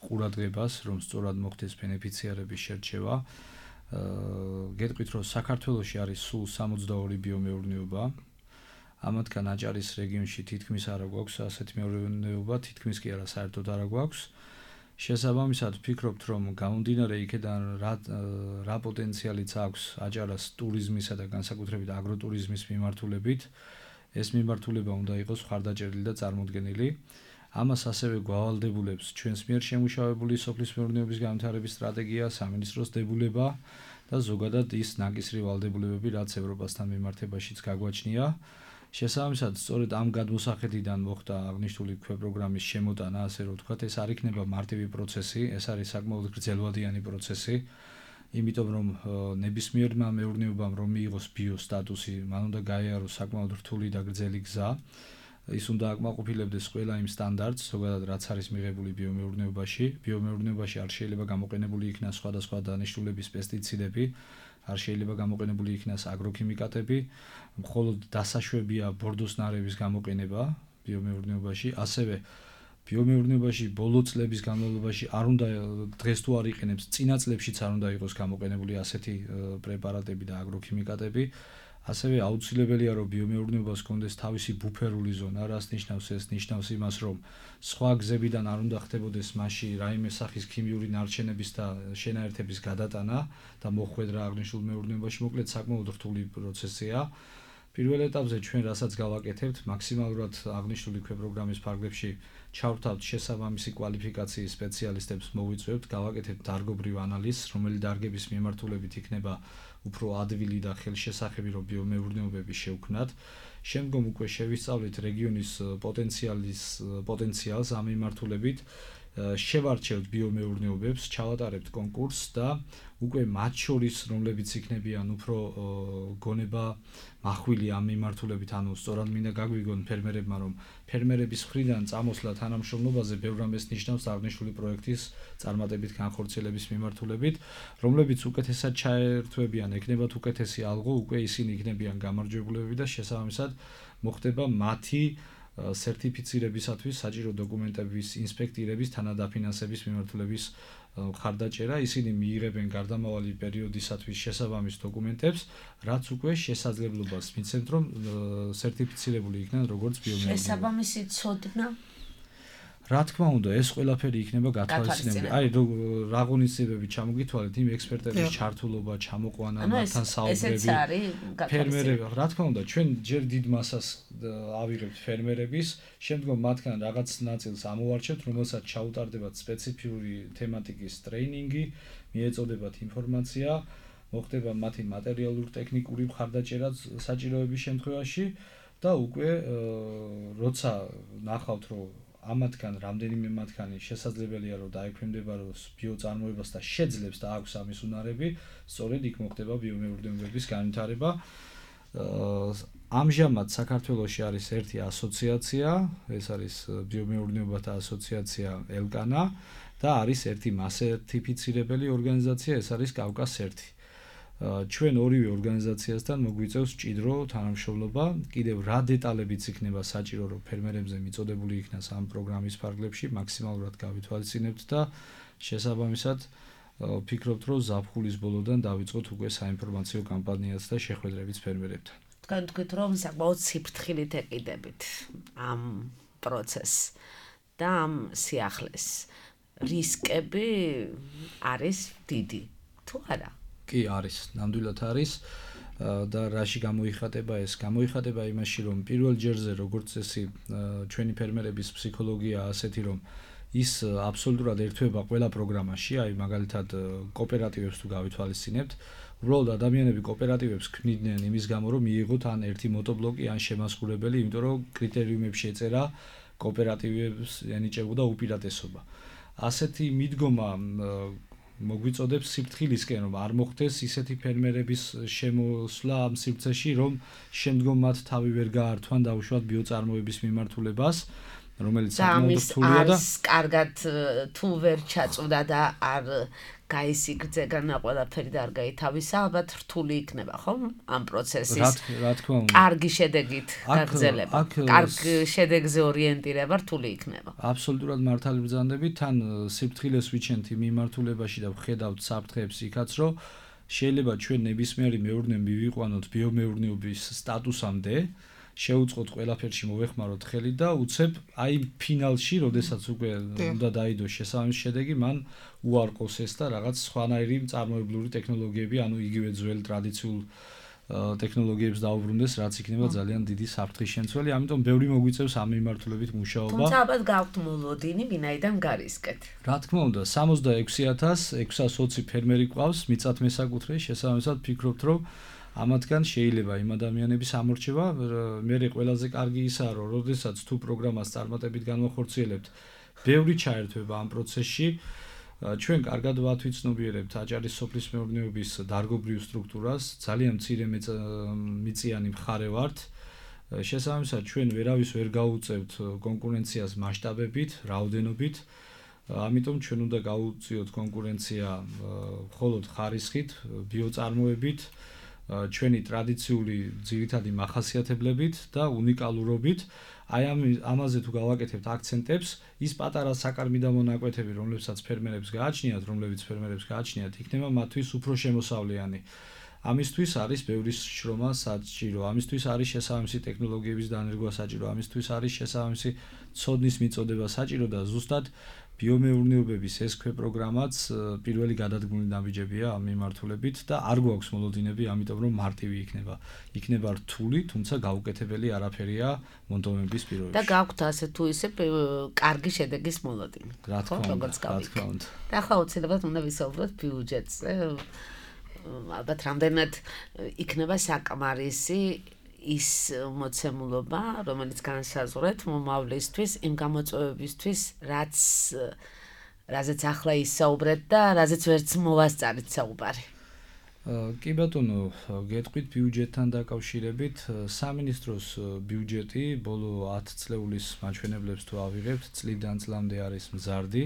ყურადღებას, რომ სწორად მოხდეს ბენეფიციარების შერჩევა. გეტყვით, რომ საქართველოში არის სულ 62 ბიომეურნეობა. ამათგან აჭარის რეგიონში თითქმის არ გვაქვს ასეთი მეურნეობა, თითქმის კი არა, საერთოდ არ გვაქვს. შესაბამისად ვფიქრობთ, რომ გამომდინარე იქედან რა პოტენციალიც აქვს აჭარას ტურიზმისა და განსაკუთრებით აგროტურიზმის მიმართულებით, ეს მიმართულება უნდა იყოს ხარდაჭერილი და წარმოდგენილი. ამას ასევე გვავალდებულებს ჩვენს მიერ შემუშავებული სოფლის მეურნეობის განვითარების სტრატეგია, სამინისტროს დებულება და ზოგადად ის ნაკისრი ვალდებულებები, რაც ევროპასთან მიმართებაშიც გაგვაჩნია. შესაბამისად, სწორედ ამ გადმოსახედიდან მოხდა აღნიშნული ქვეპროგრამის შემოტანა, ასე რომ ვთქვათ, ეს არ იქნება მარტივი პროცესი, ეს არის საკმაოდ გრძელვადიანი პროცესი, იმიტომ რომ ნებისმიერმა მეურნეობამ რომ მიიღოს ბიო სტატუსი, მან უნდა გაიაროს საკმაოდ რთული და გრძელი გზა. ის უნდა აკმაყოფილებდეს ყველა იმ სტანდარტს, ზოგადად რაც არის მიღებული ბიომეურნეობაში. ბიომეურნეობაში არ შეიძლება გამოყენებული იქნას სხვადასხვა დანიშნულების პესტიციდები, არ შეიძლება გამოყენებული იქნას აგროქიმიკატები, მხოლოდ დასაშვებია ბორდოს ნარების გამოყენება ბიომეურნეობაში, ასევე ბიომეურნეობაში ბოლო წლების განმავლობაში არ უნდა დღეს თუ არ იყენებს, წინა წლებშიც არ უნდა იყოს გამოყენებული ასეთი პრეპარატები და აგროქიმიკატები. ასევე აუცილებელია რომ ბიომეურნეობას კონდეს თავისი ბუფერული ზონა, რას ნიშნავს ეს? ნიშნავს იმას, რომ სხვა გზებიდან არ უნდა ხდებოდეს მასში რაიმე სახის ქიმიური ნარჩენების და შენაერთების გადატანა და მოხვედრა აღნიშნულ მეურნეობაში, მოკლედ საკმაოდ რთული პროცესია. პირველ ეტაპზე ჩვენ რასაც გავაკეთებთ, მაქსიმალურად აღნიშნული ქვეპროგრამის ფარგლებში ჩავრთავთ შესაბამისი კვალიფიკაციის სპეციალისტებს მოვიწვევთ, გავაკეთებთ დარგობრივ ანალიზს, რომელი დარგების მიმართულებით იქნება უფრო ადვილი და ხელშესახები რომ ბიომეურნეობები შევქმნათ. შემდგომ უკვე შევისწავლით რეგიონის პოტენციალს ამ მიმართულებით, შევარჩევთ ბიომეურნეობებს, ჩავატარებთ კონკურსს და უკვე მათ შორის რომლებიც იქნებიან უფრო გონება მახვილი ამ მიმართულებით, ანუ სწორად მინდა გაგვიგონ ფერმერებმა, რომ ფერმერების მხრიდან წამოსვლა თანამშრომლობაზე ბევრ რამეს ნიშნავს აღნიშნული პროექტის წარმატებით განხორციელების მიმართულებით, რომლებიც უკეთესად ჩაერთვებიან, ეკნებათ უკეთესი ალღო, უკვე ისინი იქნებიან გამარჯვებულები და შესაბამისად მოხდება მათი სერტიფიცირებისათვის საჭირო დოკუმენტების ინსპექტირების თანადაფინანსების მიმართულების ხარდაჭერა. ისინი მიიღებენ გარდამავალი პერიოდისათვის შესაბამის დოკუმენტებს, რაც უკვე შესაძლებლობას მიცემთ, რომ სერტიფიცირებული იქნან როგორც ბიომეურნეობა. შესაბამისი ცოდნა რა თქმა უნდა, ეს ყველაფერი იქნება გათვალისწინებული. აი, რა ღონისძიებები ჩამოგითვალეთ, იმ ექსპერტების ჩართულობა, ჩამოყვანა, მათთან საუბრები. ფერმერები, რა თქმა უნდა, ჩვენ ჯერ დიდ მასას ავიღებთ ფერმერების, შემდგომ მათგან რაღაც ნაწილს ამოვარჩევთ, რომელსაც ჩაუტარდებათ სპეციფიური თემატიკის ტრეინინგი, მიეწოდებათ ინფორმაცია, მოხდება მათი მატერიალურ-ტექნიკური მხარდაჭერა საჭიროების შემთხვევაში და უკვე როცა ნახავთ, რომ ამათგან რამდენიმე მათგანი შესაძლებელია რომ დაექვემდებაროს ბიოწარმოებას და შეძლებს და აქვს ამის უნარები, სწორედ იქ მოხდება ბიომეურნეობების განვითარება. ამჟამად საქართველოში არის ერთი ასოციაცია, ეს არის ბიომეურნეობათა ასოციაცია ელკანა და არის ერთი მასერტიფიცირებელი ორგანიზაცია, ეს არის კავკას-1. ჩვენ ორივე ორგანიზაციასთან მოგვიწევს მჭიდრო თანამშრომლობა, კიდევ რა დეტალებიც იქნება საჭირო რომ ფერმერებზე მიწოდებული იქნას ამ პროგრამის ფარგლებში, მაქსიმალურად გავითვალისწინებთ და შესაბამისად ვფიქრობთ, რომ ზაფხულის ბოლოდან დავიწყოთ უკვე საინფორმაციო კამპანიას და შეხვედრებიც ფერმერებთან. თქვენ თქვით, რომ საკმაოდ სიფრთხილით ეკიდებით ამ პროცესს და ამ სიახლეს. რისკები არის დიდი, თუ არა? კი არის, ნამდვილად არის და რაში გამოიხატება ეს? გამოიხატება იმაში, რომ პირველ ჯერზე როგორც წესი ჩვენი ფერმერების ფსიქოლოგია ასეთი, რომ ის აბსოლუტურად ერთვება ყველა პროგრამაში, აი მაგალითად კოოპერატივებს თუ გავითვალისწინებთ, უბრალოდ ადამიანები კოოპერატივებს ქმნიდნენ იმის გამო, რომ მიიღოთ ან ერთი მოტობლოკი, ან შემასრულებელი, იმიტომ რომ კრიტერიუმებში ეწერა კოოპერატივებს ენიჭებოდა უპირატესობა. ასეთი მიდგომა მოგვიწოდებს სიფრთხილისკენ, რომ არ მოხდეს ისეთი ფერმერების შემოსვლა ამ სივრცეში, რომ შემდგომ მათ თავი ვერ გაართვან დაუშვათ ბიოწარმოების მიმართულებას, რომელიც საკმაოდ რთულია და კარგად თუ ვერ ჩაწვდა და არ გაისიგრძეგნა ყველაფერი და არ გაითავისა, ალბათ რთული იქნება, ხო? ამ პროცესის რა თქმა უნდა. კარგი შედეგით გაგრძელება, კარგ შედეგზე ორიენტირება რთული იქნება. აბსოლუტურად მართალი ბრძანდებით, თან სიფრთხილეს ვიჩენთ იმ მიმართულებაში და ვხედავთ საფრთხეებს იქაც, რომ შეიძლება ჩვენ ნებისმიერი მეურნეო მივიყვანოთ ბიომეურნეობის სტატუსამდე, შეუწყოთ ყველაფერში მოვეხმაროთ ხელი და უცებ აი ფინალში, როდესაც უკვე უნდა დაიდოს შესაბამისი შედეგი, მან უარყოს ეს და რაღაც სხვანაირი მწარმოებლური ტექნოლოგიები, ანუ იგივე ძველ ტრადიციულ ტექნოლოგიებს დაუბრუნდეს, რაც იქნება ძალიან დიდი საფრთხის შემცველი, ამიტომ ბევრი მოგვიწევს ამ მიმართულებით მუშაობა. თუმცა ალბათ გაქვთ მოლოდინი, ვინაიდან გარისკეთ. რა თქმა უნდა, 66620 ფერმერი ყავს, მიწათ მესაკუთრე, შესაბამისად ვფიქრობთ, რომ ამათგან შეიძლება იმ ადამიანების ამორჩევა, მე ყველაზე კარგი ისაა, რომ როდესაც თუ პროგრამას წარმატებით განვახორციელებთ, ბევრი ჩაერთვება ამ პროცესში. ჩვენ კარგად ვათვიცნობიერებთ აჭარის სოფლის მეურნეობის დარგობრივ სტრუქტურას, ძალიან მცირე მიწიანი მხარე ვართ. შესაბამისად, ჩვენ ვერავის ვერ გაუწევთ კონკურენციას მასშტაბებით, რაოდენობით. ამიტომ ჩვენ უნდა გავუწიოთ კონკურენცია მხოლოდ ხარისხით, ბიოწარმოებით, ჩვენი ტრადიციული ძირითადი მახასიათებლებით და უნიკალურობით. აი ამაზე თუ გავაკეთებთ აქცენტებს, ის პატარა საკარმიდამო მონაკვეთები, რომლებსაც ფერმერებს გააჩნიათ, იქნება მათთვის უფრო შემოსავლიანი. ამისთვის არის ბევრი შრომა საჭირო, ამისთვის არის შესაბამისი ტექნოლოგიების დანერგვა საჭირო, ამისთვის არის შესაბამისი ცოდნის მიწოდება საჭირო და ზუსტად ბიომეურნეობების ეს პროგრამაც პირველი გადადგმული ნაბიჯებია ამ მიმართულებით და არ გვაქვს მოლოდინები, ამიტომ რომ მარტივი იქნება რთული, თუმცა გაუკეთებელი არაფერია მონდომების პირობებში. და გაქვთ ასე თუ ისე კარგი შედეგის მოლოდინი. რა თქმა უნდა. და ახლა უცებად უნდა ვისაუბროთ ბიუჯეტზე. ალბათ რამდენად იქნება საკმარისი ის მოცემულობა, რომელიც განსაზღვრეთ მომავლისთვის, იმ გამოწვევებისთვის, რაზეც ახლა ისაუბრეთ და რაზეც ვერც მოვასწარეთ საუბარი. კი ბატონო, გეტყვით ბიუჯეტთან დაკავშირებით, სამინისტროს ბიუჯეტი ბოლო 10 წლეულის მაჩვენებლებს თუ ავიღებთ, წლიდან წლამდე არის მზარდი.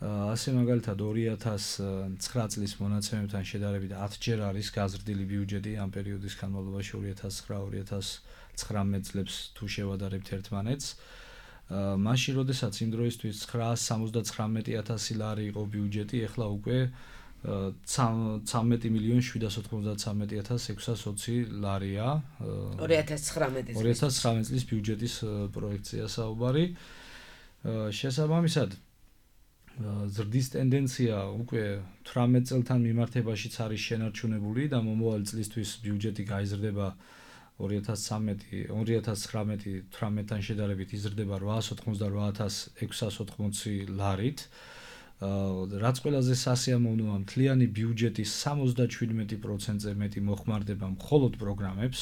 ასე მაგალითად 2009 წლის მონაცემებთან შედარებით 10 ჯერ არის გაზრდილი ბიუჯეტი ამ პერიოდის განმავლობაში 2009-2019 წლებს თუ შევადარებთ ერთმანეთს. მაშინ როდესაც იმ დროისთვის 979,000 ლარი იყო ბიუჯეტი, ეხლა უკვე 13,793,620 ლარია. 2019 წლის ბიუჯეტის პროექცია საუბარი. შესაბამისად ზრდის ტენდენცია უკვე 18 წელთან მიმართებაშიც არის შენარჩუნებული და მომავალი წლისთვის ბიუჯეტი გაიზრდება 2019-18-თან შედარებით იზრდება 888,680 ლარით. რაც ყველაზე სასიამოვნოა, მთლიანი ბიუჯეტის 77%-ზე მეტი მოხმარდება მხოლოდ პროგრამებს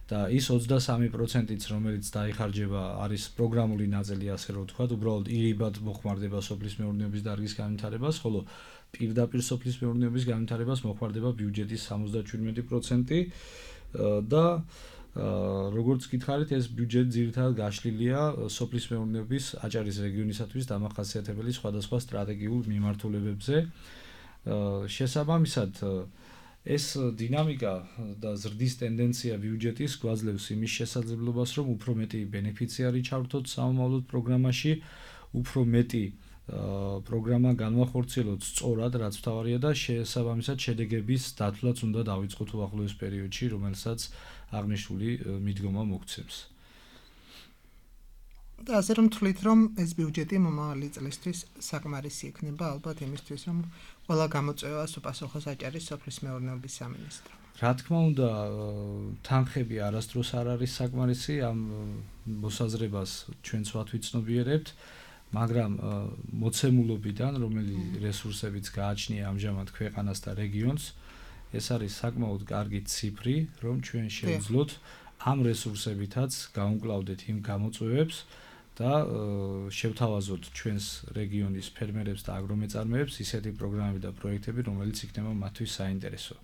და ის 23%-იც, რომელიც დაიხარჯება, არის პროგრამული ნაწილი, ასე რომ ვთქვათ, უბრალოდ ირიბად მოხმარდება სოფლის მეურნეობის დარგის განვითარებას, ხოლო პირდაპირ სოფლის მეურნეობის განვითარებას მოხმარდება ბიუჯეტის 77% და როგორც გითხარით, ეს ბიუჯეტი ძირითადად გაშლილია სოფლის მეურნეობის აჭარის რეგიონისათვის დამახასიათებელი სხვადასხვა სტრატეგიულ მიმართულებებზე. შესაბამისად ეს დინამიკა და ზრდის ტენდენცია ბიუჯეტის გვაძლევს იმის შესაძლებლობას, რომ უფრო მეტი ბენეფიციარი ჩავრთოთ სამომავლოდ პროგრამაში, უფრო მეტი პროგრამა განვახორციელოთ სწორად, რაც მთავარია და შესაბამისად შედეგების დათვლაც უნდა დავიწყოთ უახლოეს პერიოდში, რომელსაც აღნიშნული მიდგომა მოგცემს. და ასე რომ თვლით, რომ ეს ბიუჯეტი მომავალი წლისთვის საკმარისი იქნება ალბათ იმისთვის, რომ ყველა გამოწვევას უპასუხოს აჭარის სოფლის მეურნეობის სამინისტრო. რა თქმა უნდა, თანხები არასდროს არ არის საკმარისი, ამ მოსაზრებას ჩვენც ვაცნობიერებთ, მაგრამ მოცემულობიდან, რომელი რესურსებიც გააჩნია ამჟამად ქვეყანას და რეგიონს, ეს არის საკმაოდ კარგი ციფრი, რომ ჩვენ შევძლოთ ამ რესურსებითაც გავუმკლავდეთ იმ გამოწვევებს და შევთავაზოთ ჩვენს რეგიონის ფერმერებს და აგრომეწარმეებს ისეთი პროგრამები და პროექტები, რომელიც იქნება მათთვის საინტერესო.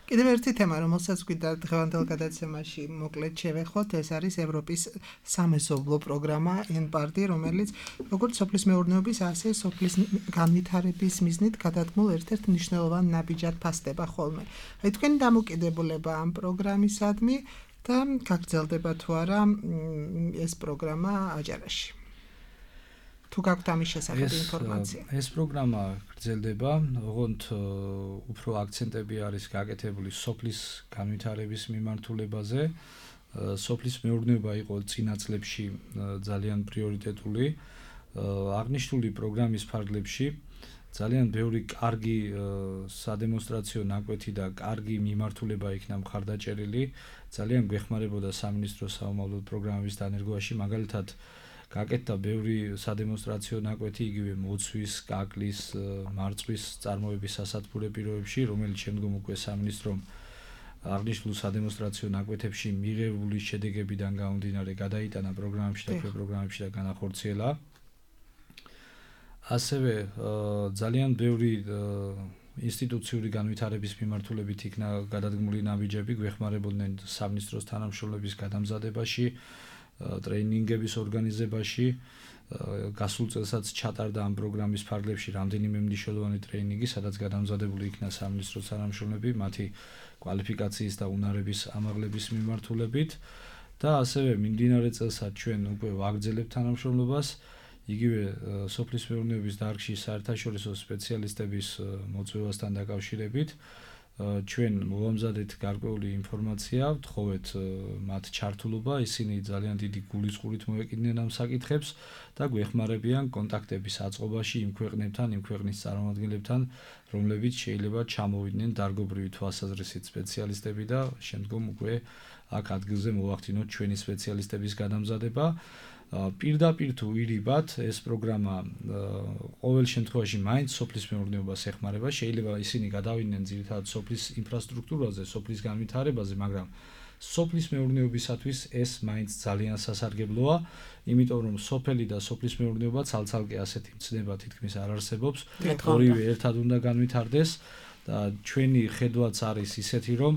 კიდევ ერთი თემა, რომელსაც გვინდა დღევანდელ გადაცემაში მოკლედ შევეხოთ, ეს არის ევროპის სამეზობლო პროგრამა ENPARD, რომელიც როგორც სოფლის მეურნეობის, ასე სოფლის განვითარების მიზნით გადადგმულ ერთ-ერთ მნიშვნელოვან ნაბიჯად ფასდება ხოლმე. აი თქვენი დამოკიდებულება ამ პროგრამისადმი და გაგრძელდება თუ არა ეს პროგრამა აჭარაში. თუ გაქვთ ამის შესახებ ინფორმაცია. ეს პროგრამა გრძელდება, ოღონდ უფრო აქცენტები არის გაკეთებული სოფლის განვითარების მიმართულებაზე. სოფლის მეურნეობა იყო წინა წლებში ძალიან პრიორიტეტული. აღნიშნული პროგრამის ფარგლებში ძალიან ბევრი კარგი სადემონსტრაციო ნაკვეთი და კარგი მიმართულება იქნა მხარდაჭერილი. ძალიან გვეხმარებოდა სამინისტროს სამომავლოდ პროგრამების დანერგვაში, მაგალითად გაკეთდა ბევრი სადემონსტრაციო ნაკვეთი იგივე მოცვის, კაკლის, მარწყვის წარმოების სასათბურე პირობებში, რომელიც შემდგომ უკვე სამინისტრომ აღნიშნულ სადემონსტრაციო ნაკვეთებში მიღებული შედეგებიდან გამომდინარე გადაიტანა პროგრამებში და პროგრამებში და განახორციელა. ასევე ძალიან ბევრი ინსტიტუციური განვითარების მიმართულებით იქნა გადადგმული ნაბიჯები, გვეხმარებოდნენ სამინისტროს თანამშრომლების გადამზადებაში, ტრეინინგების ორგანიზებაში გასულ წელსაც ჩატარდა ამ პროგრამის ფარგლებში რამდენიმე მნიშვნელოვანი ტრეინინგი, სადაც გადამზადებული იქნა სამინისტრო თანამშრომლები მათი კვალიფიკაციის და უნარების ამაღლების მიმართულებით და ასევე მიმდინარე წელსაც ჩვენ უკვე ვაგრძელებთ თანამშრომლობას იგივე სოფლის მეურნეობის დარგში საერთაშორისო სპეციალისტების მოწვევასთან დაკავშირებით ჩვენ მოვამზადეთ გარკვეული ინფორმაცია, ვთხოვეთ მათ ჩართულობა, ისინი ძალიან დიდი გულისწყურით მოეკიდნენ ამ საკითხებს და გვეხმარებიან კონტაქტების აწყობაში იმ ქვეყნებთან, იმ ქვეყნის წარმომადგენლებთან, რომლებიც შეიძლება ჩამოვიდნენ დარგობრივი თვალსაზრისით სპეციალისტები და შემდგომ უკვე აქ ადგილზე მოვახდინოთ ჩვენი სპეციალისტების გადამზადება. პირდაპირ თუ ვირიბათ ეს პროგრამა ყოველ შემთხვევაში მაინც სოფლის მეურნეობას ეხმარება, შეიძლება ისინი გადავიდნენ ძირითადად სოფლის ინფრასტრუქტურაზე, სოფლის განვითარებაზე, მაგრამ სოფლის მეურნეობისათვის ეს მაინც ძალიან სასარგებლოა, იმიტომ რომ სოფელი და სოფლის მეურნეობა ცალ-ცალკე ასეთი მცნება თითქმის არ არსებობს, ორივე ერთად უნდა განვითარდეს და ჩვენი ხედვაც არის ისეთი, რომ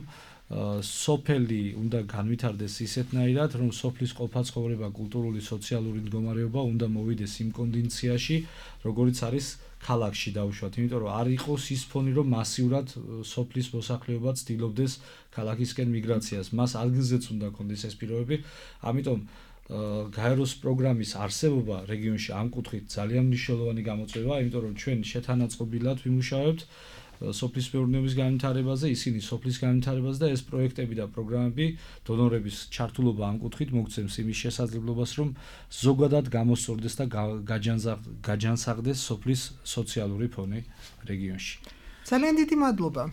სოფელი უნდა განვითარდეს ისეთნაირად, რომ სოფლის ყოფა-ცხოვრება, კულტურული, სოციალური მდგომარეობა უნდა მოვიდეს იმ კონდიციაში, როგორიც არის ქალაქში დაუშვათ, იმიტომ რომ არ იყოს ის ფონი, რომ მასიურად სოფლის მოსახლეობა ცდილობდეს ქალაქისკენ მიგრაციას. მას ადგილზეც უნდა კონდეს ეს პირობები, ამიტომ გაეროს პროგრამის არსებობა რეგიონში ამ კუთხით ძალიან მნიშვნელოვანი გამოწვევაა, იმიტომ რომ ჩვენ შეთანაწყობილად ვიმუშავებთ სოფლის მეურნეობის განვითარებაზე, ისინი სოფლის განვითარებაზე და ეს პროექტები და პროგრამები დონორების ჩართულობა ამ კუთხით მოგცემს იმის შესაძლებლობას, რომ ზოგადად გამოსწორდეს და გაჯანსაღდეს სოფლის სოციალური ფონი რეგიონში. ძალიან დიდი მადლობა.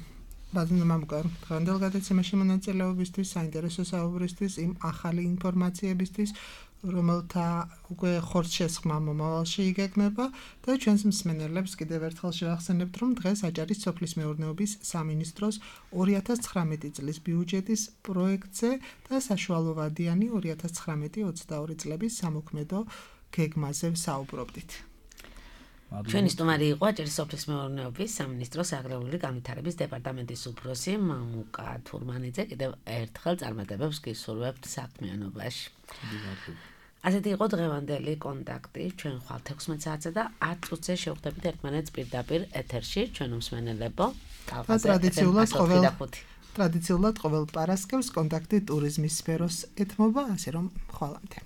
ბატონო მამუკა, დღევანდელ გადაცემაში მონაწილეობისთვის, საინტერესო საუბრისთვის, იმ ახალი ინფორმაციებისთვის, რომელთა უკვე ხორცშესხმა მომავალში იგეგმება და ჩვენს მსმენელებს კიდევ ერთხელ შევახსენებთ, რომ დღეს აჭარის სოფლის მეურნეობის სამინისტროს 2019 წლის ბიუჯეტის პროექტზე და საშუალოვადიანი 2019-22 წლების სამოქმედო გეგმაზე ვსაუბრობდით. ჩვენი სტუმარი იყო აჭარის სოფლის მეურნეობის სამინისტროს აგრარული განვითარების დეპარტამენტის უფროსი მამუკა თურმანიძე. კიდევ ერთხელ წარმატებებს გისურვებთ საქმიანობაში. ასეთი იყო დღევანდელი კონტაქტი. ჩვენ ხვალ 16 საათზე და 10 წუთზე შევხვდებით ერთმანეთს პირდაპირ ეთერში. ჩვენ მსმენელებო, ტრადიციულად ყოველ პარასკევს კონტაქტი ტურიზმის სფეროს ეთმობა, ასე რომ ხვალამდე.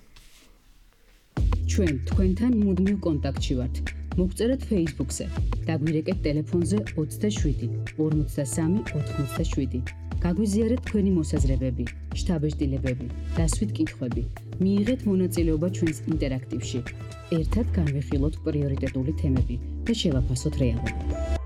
ჩვენ თქვენთან მუდმივ კონტაქტში ვართ. მოგწერეთ Facebook-ზე, დაგვირეკეთ ტელეფონზე 27 53 87. გაგვიზიარეთ თქვენი მოსაზრებები, შთაბეჭდილებები, დასვით კითხვები. მიიღეთ მონაწილეობა ჩვენს ინტერაქტივში. ერთად განვიხილოთ პრიორიტეტული თემები და შევაფასოთ რეალობა.